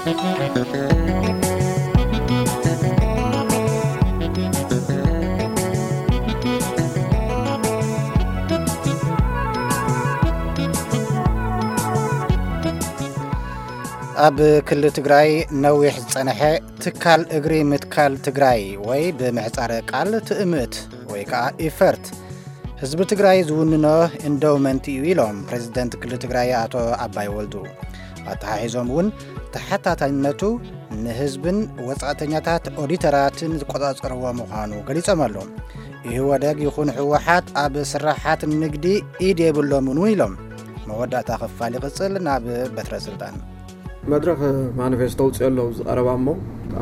ኣብ ክልል ትግራይ ነዊሕ ዝጸንሐ ትካል እግሪ ምትካል ትግራይ ወይ ብምህጻረ ቃል ትእምት ወይ ከዓ ኢፈርት ህዝቢ ትግራይ ዝውንኖ ኢንዶውመንት እዩ ኢሎም ፕሬዚደንት ክልል ትግራይ ኣቶ ኣባይ ወልዱ። ኣተሓሒዞም እውን ተሓታታይነቱ ንህዝብን ወጻእተኛታት ኦዲተራትን ዝቆጻጸርዎ ምዃኑ ገሊጾም ኣለዉ። ኢህወደግ ይኹን ህወሓት ኣብ ስራሓት ንግዲ ኢድ የብሎምን እውን ኢሎም። መወዳእታ ክፋል ይቕጽል ናብ በትረ ስልጣን። መድረኽ ማኒፌስቶ ኣውፅኦ ኣለዉ ዝቐረባ እሞ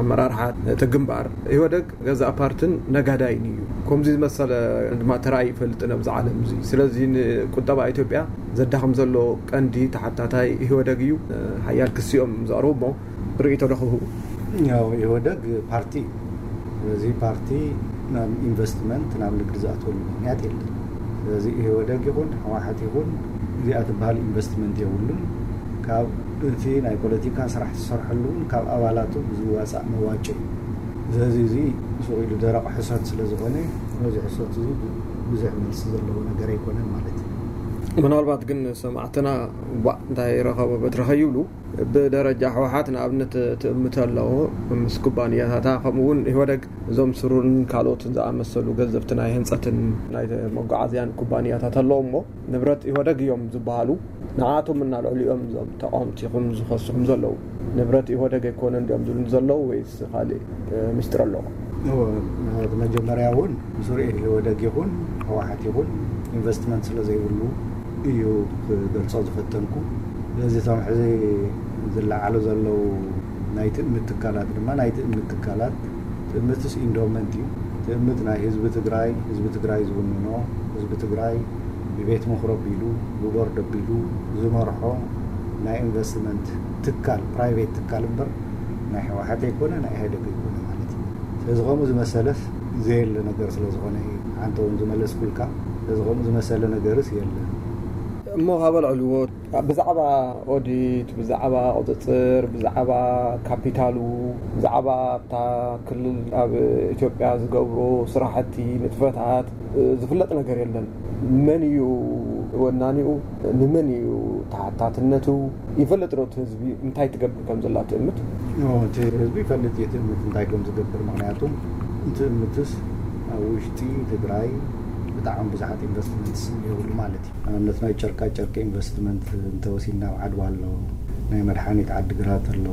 ኣመራርሓ እቲ ግንባር ኢህወደግ ገዛእ ፓርትን ነጋዳይን እዩ። ከምዚ ዝመሰለ ድማ ተራእዩ ይፈልጥን ኣብዚ ዓለም እዚ። ስለዚ ንቁጠባ ኢትዮጵያ ዘዳኽም ዘሎ ቀንዲ ተሓታታይ ኢህወደግ እዩ። ሓያል ክሲ እዮም ዘቕርቡ እሞ ርእይቶ ዶ ክህቡ? ያው ኢህወደግ ፓርቲ እዩ። ስለዚ ፓርቲ ናብ ኢንቨስትመንት ናብ ንግዲ ዝኣትወሉ ምኽንያት የለን። ስለዚ ኢህወደግ ይኹን ህወሓት ይኹን እዚኣ ትበሃል ኢንቨስትመንት የብሉን። ካብ እቲ ናይ ፖለቲካ ስራሕ ዝሰርሐሉ እውን ካብ ኣባላቱ ብዝዋፃእ መዋጮ እዩ። ስለዚ እዚ ሱቕ ኢሉ ደረቕ ሕሶት ስለ ዝኾነ ነዚ ሕሶት እዚ ብዙሕ መልሲ ዘለዎ ነገር ኣይኮነን ማለት እዩ። ምናልባት ግን ሰማዕትና ዋእ እንታይ ረኸቦ በትረ ከይብሉ ብደረጃ ህወሓት ንኣብነት ትእምት ኣለዎ ምስ ኩባንያታታ ከምኡ እውን ኢህወደግ እዞም ስሩርን ካልኦትን ዝኣመሰሉ ገዘፍቲ ናይ ህንፀትን ናይ መጓዓዝያን ኩባንያታት ኣለዎ እሞ ንብረት ኢህወደግ እዮም ዝበሃሉ ንዓቶም እና ልዕሊኦም እዞም ተቃወምቲ ይኹን ዝኸስኹም ዘለዉ ንብረት ኢህወደግ ኣይኮነን ድዮም ዝብሉ ዘለዉ ወይስ ካልእ ምስጢር ኣለዎ? መጀመርያ እውን ብስሩዕ ኢህወደግ ይኹን ህወሓት ይኹን ኢንቨስትመንት ስለ ዘይብሉ እዩ ክገልጾ ዝፈተንኩ። ስለዚ እቶም ሕዚ ዝለዓሉ ዘለዉ ናይ ትእምት ትካላት ድማ ናይ ትእምት ትካላት ትእምትስ ኢንዶመንት እዩ። ትእምት ናይ ህዝቢ ትግራይ ህዝቢ ትግራይ ዝውንኖ ህዝቢ ትግራይ ብቤት ምኽሪ ኣቢሉ ብቦርድ ኣቢሉ ዝመርሖ ናይ ኢንቨስትመንት ትካል ፕራይቬት ትካል እምበር ናይ ህወሓት ኣይኮነ ናይ ኢህደግ ኣይኮነ ማለት እዩ። ስለዚ ከምኡ ዝመሰለስ ዘየለ ነገር ስለ ዝኾነ እዩ ሓንቲ እውን ዝመለስኩልካ። ስለዚ ከምኡ ዝመሰለ ነገርስ የለን። እሞ ካብ ኣልዕልዎ ብዛዕባ ኦዲት ብዛዕባ ቁፅፅር ብዛዕባ ካፒታሉ ብዛዕባ ኣብታ ክልል ኣብ ኢትዮጵያ ዝገብሮ ስራሕቲ ንጥፈታት ዝፍለጥ ነገር የለን። መን እዩ ወናኒኡ? ንመን እዩ ተሓታትነቱ? ይፈልጥ ዶ እቲ ህዝቢ እንታይ ትገብር ከም ዘላ ትእምት? እቲ ህዝቢ ይፈልጥ እዩ ትእምት እንታይ ከም ዝገብር። ምክንያቱ ትእምትስ ኣብ ውሽጢ ትግራይ ብጣዕሚ ብዙሓት ኢንቨስትመንትስ የብሉ ማለት እዩ። ንኣብነት ናይ ጨርቃ ጨርቂ ኢንቨስትመንት እንተወሲድና ኣብ ዓድዋ ኣሎ፣ ናይ መድሓኒት ዓድግራት ኣሎ፣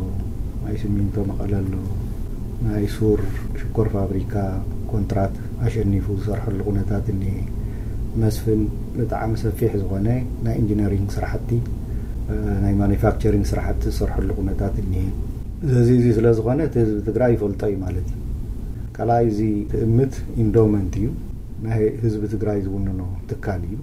ናይ ሲሚንቶ መቐለ ኣሎ፣ ናይ ሱር ሽኮር ፋብሪካ ኮንትራት ኣሸኒፉ ዝሰርሐሉ ኩነታት እኒሄ። መስፍን ብጣዕሚ ሰፊሕ ዝኾነ ናይ ኢንጂነሪንግ ስራሕቲ ናይ ማኒፋክቸሪንግ ስራሕቲ ዝሰርሐሉ ኩነታት እኒሄ። እዚ እዚ ስለ ዝኾነ እቲ ህዝቢ ትግራይ ይፈልጦ እዩ ማለት እዩ። ካልኣይ እዚ ትእምት ኢንዶመንት እዩ። ናይ ህዝቢ ትግራይ ዝውንኖ ትካል እዩ።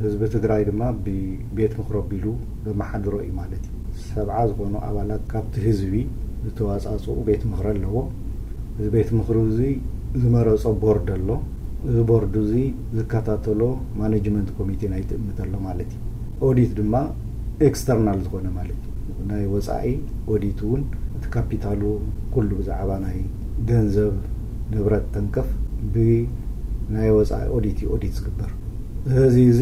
ህዝቢ ትግራይ ድማ ብቤት ምኽሪ ኣቢሉ ዘመሓድሮ እዩ ማለት እዩ። ሰብዓ ዝኾኑ ኣባላት ካብቲ ህዝቢ ዝተዋፃፅኡ ቤት ምኽሪ ኣለዎ። እዚ ቤት ምኽሪ እዚ ዝመረፆ ቦርድ ኣሎ። እዚ ቦርድ እዚ ዝከታተሎ ማኔጅመንት ኮሚቴ ናይ ትእምት ኣሎ ማለት እዩ። ኦዲት ድማ ኤክስተርናል ዝኾነ ማለት እዩ። ናይ ወፃኢ ኦዲት እውን እቲ ካፒታሉ ኩሉ ብዛዕባ ናይ ገንዘብ ንብረት ተንከፍ ብናይ ወፃኢ ኦዲት እዩ ኦዲት ዝግበር። እዚ እዚ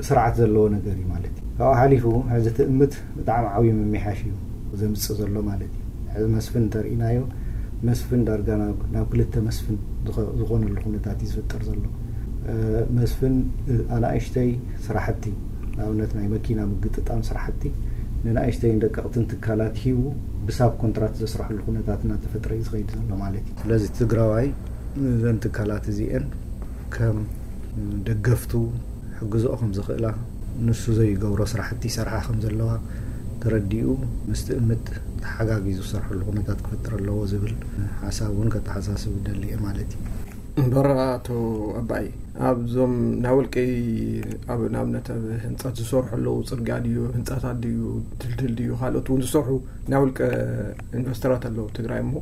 ስርዓት ዘለዎ ነገር እዩ ማለት እዩ። ካብኡ ሓሊፉ ሕዚ ትእምት ብጣዕሚ ዓብዩ ምምሕያሽ እዩ ዘምፅእ ዘሎ ማለት እዩ። ሕዚ መስፍን እንተርኢናዮ መስፍን ዳርጋ ናብ ክልተ መስፍን ዝኾነሉ ኩነታት እዩ ዝፍጠር ዘሎ። መስፍን ኣናእሽተይ ስራሕቲ ንኣብነት ናይ መኪና ምግጥጣም ስራሕቲ ንናእሽተይን ደቀቕትን ትካላት ሂቡ ብሳብ ኮንትራት ዘስረሐሉ ኩነታት እናተፈጥረ እዩ ዝኸይድ ዘሎ ማለት እዩ። ስለዚ ትግራዋይ እዘን ትካላት እዚአን ከም ደገፍቱ ሕግዝኦ ከም ዝኽእላ ንሱ ዘይገብሮ ስራሕቲ ይሰርሓ ከም ዘለዋ ተረዲኡ ምስ ትእምት ተሓጋጊዙ ዝሰርሐሉ ኩነታት ክፈጥር ኣለዎ ዝብል ሓሳብ እውን ከተሓሳስብ ይደሊ እየ ማለት እዩ። እምበር ኣቶ ኣባይ ኣብዞም ናይ ውልቀይ ኣብ ንኣብነት ኣብ ህንፀት ዝሰርሑ ኣለዉ ፅርግያ ድዩ ህንፃታት ድዩ ድልድል ድዩ ካልኦት እውን ዝሰርሑ ናይ ውልቀ ኢንቨስተራት ኣለዉ ትግራይ እሞ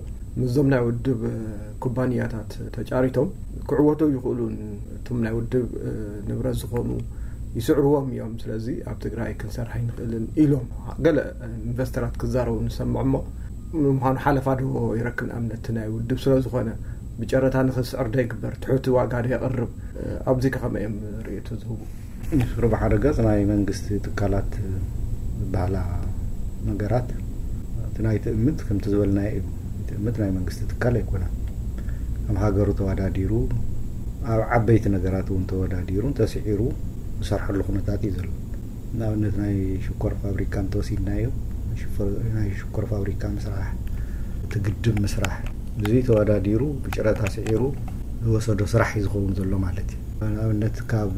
ምስዞም ናይ ውድብ ኩባንያታት ተጫሪቶም ክዕወቱ ይኽእሉን እቶም ናይ ውድብ ንብረት ዝኾኑ ይስዕርዎም እዮም ስለዚ ኣብ ትግራይ ክንሰርሕ ኣይንኽእልን ኢሎም ገለ ኢንቨስተራት ክዛረቡ ንሰምዕ እሞ ምዃኑ ሓለፋ ዶ ይረክብ? ንኣብነት ናይ ውድብ ስለ ዝኾነ ብጨረታ ንኽስዕር ዶ ይግበር? ትሑት ዋጋ ዶ የቕርብ? ኣብዚ ከ ከመይ እዮም ርእይቶ ዝህቡ? ርብሓ ረገጽ ናይ መንግስቲ ትካላት ዝበሃላ ነገራት እቲ ናይ ትእምት ከምቲ ዝበልናዮ እዩ። ትእምት ናይ መንግስቲ ትካል ኣይኮነን። ከም ሃገሩ ተወዳዲሩ ኣብ ዓበይቲ ነገራት እውን ተወዳዲሩ እንተስዒሩ ዝሰርሐሉ ኩነታት እዩ ዘሎ። ንኣብነት ናይ ሽኮር ፋብሪካ እንተወሲድናዮ ናይ ሽኮር ፋብሪካ ምስራሕ፣ እቲ ግድብ ምስራሕ፣ ብዙይ ተወዳዲሩ ብጨረታ ስዒሩ ዝወሰዶ ስራሕ እዩ ዝኸውን ዘሎ ማለት እዩ። ንኣብነት ካብ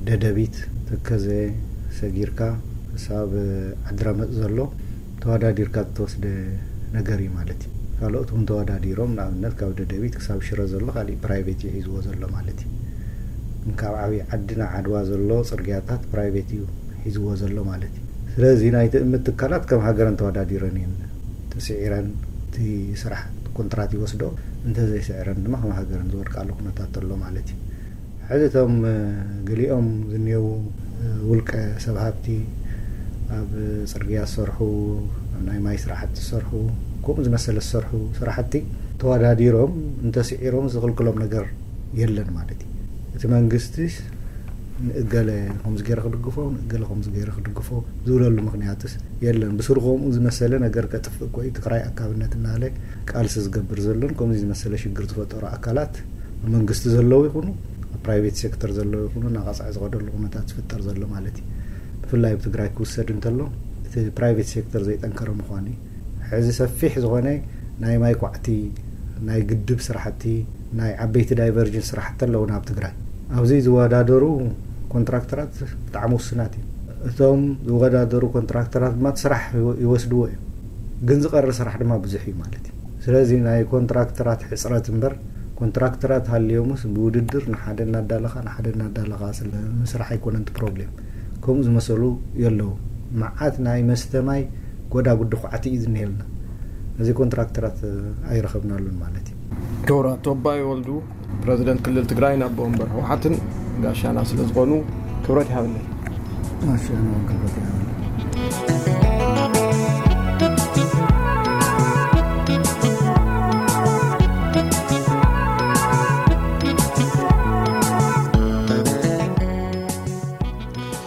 ደደቢት፣ ተከዘ ሰጊርካ ክሳብ ዓድረመፅ ዘሎ ተወዳዲርካ ዝተወስደ ነገር እዩ ማለት እዩ። ካልኦት እውን ተወዳዲሮም፣ ንኣብነት ካብ ደደቢት ክሳብ ሽረ ዘሎ ካሊእ ፕራይቬት እዩ ሒዝዎ ዘሎ ማለት እዩ። ካብ ዓብዪ ዓዲ ናብ ዓድዋ ዘሎ ፅርግያታት ፕራይቬት እዩ ሒዝዎ ዘሎ ማለት እዩ። ስለዚ ናይ ትእምት ትካላት ከም ሃገረን ተወዳዲረን እየን ተስዒረን፣ እቲ ስራሕ ኮንትራት ይወስዶ፣ እንተዘይስዕረን ድማ ከም ሃገረን ዝወድቃሉ ኩነታት ኣሎ ማለት እዩ። ሕዚ እቶም ገሊኦም ዝኒየው ውልቀ ሰብ ሃብቲ ኣብ ፅርግያ ዝሰርሑ፣ ኣብ ናይ ማይ ስራሕቲ ዝሰርሑ፣ ከምኡ ዝመሰለ ዝሰርሑ ስራሕቲ ተወዳዲሮም እንተስዒሮም ዝኽልክሎም ነገር የለን ማለት እዩ። እቲ መንግስቲ ንእገለ ከምዚ ገይረ ክድግፎ፣ ንእገለ ከምዚ ገይረ ክድግፎ ዝብለሉ ምኽንያትስ የለን። ብስሩ ከምኡ ዝመሰለ ነገር ከጥፍእ እኮ እዩ። ትግራይ ኣካብነት እናለ ቃልሲ ዝገብር ዘሎን ከምዚ ዝመሰለ ሽግር ዝፈጠሩ ኣካላት ኣብ መንግስቲ ዘለዉ ይኹኑ ኣብ ፕራይቬት ሴክተር ዘለዉ ይኹኑ እናቐፅዐ ዝኸደሉ ኩነታት ዝፍጠር ዘሎ ማለት እዩ። ብፍላይ ኣብ ትግራይ ክውሰድ እንተሎ እቲ ፕራይቬት ሴክተር ዘይጠንከረ ምዃኑ እዩ። ሕዚ ሰፊሕ ዝኾነ ናይ ማይ ኳዕቲ፣ ናይ ግድብ ስራሕቲ፣ ናይ ዓበይቲ ዳይቨርጅን ስራሕቲ ኣለዉ ናብ ትግራይ። ኣብዚ ዝወዳደሩ ኮንትራክተራት ብጣዕሚ ውስናት እዮም። እቶም ዝወዳደሩ ኮንትራክተራት ድማ እቲ ስራሕ ይወስድዎ እዮም፣ ግን ዝቐሪ ስራሕ ድማ ብዙሕ እዩ ማለት እዩ። ስለዚ ናይ ኮንትራክተራት ሕፅረት እምበር ኮንትራክተራት ሃልዮምስ ብውድድር ንሓደ እናዳለኻ ንሓደ እናዳለኻ ስለ ምስራሕ ኣይኮነን እቲ ፕሮብሌም። ከምኡ ዝመሰሉ የለዉ። መዓት ናይ መስተ ማይ ጎዳጉዲ ኳዕቲ እዩ ዝኒሄልና። እዚ ኮንትራክተራት ኣይረኸብናሉን ማለት እዩ። ክቡር ኣቶ ኣባይ ወልዱ፣ ፕረዚደንት ክልል ትግራይን ኣቦ ወንበር ህወሓትን ጋሻና ስለ ዝኾኑ ክብረት ይሃበለይ። ጋሻና ክብረት ይሃበለይ።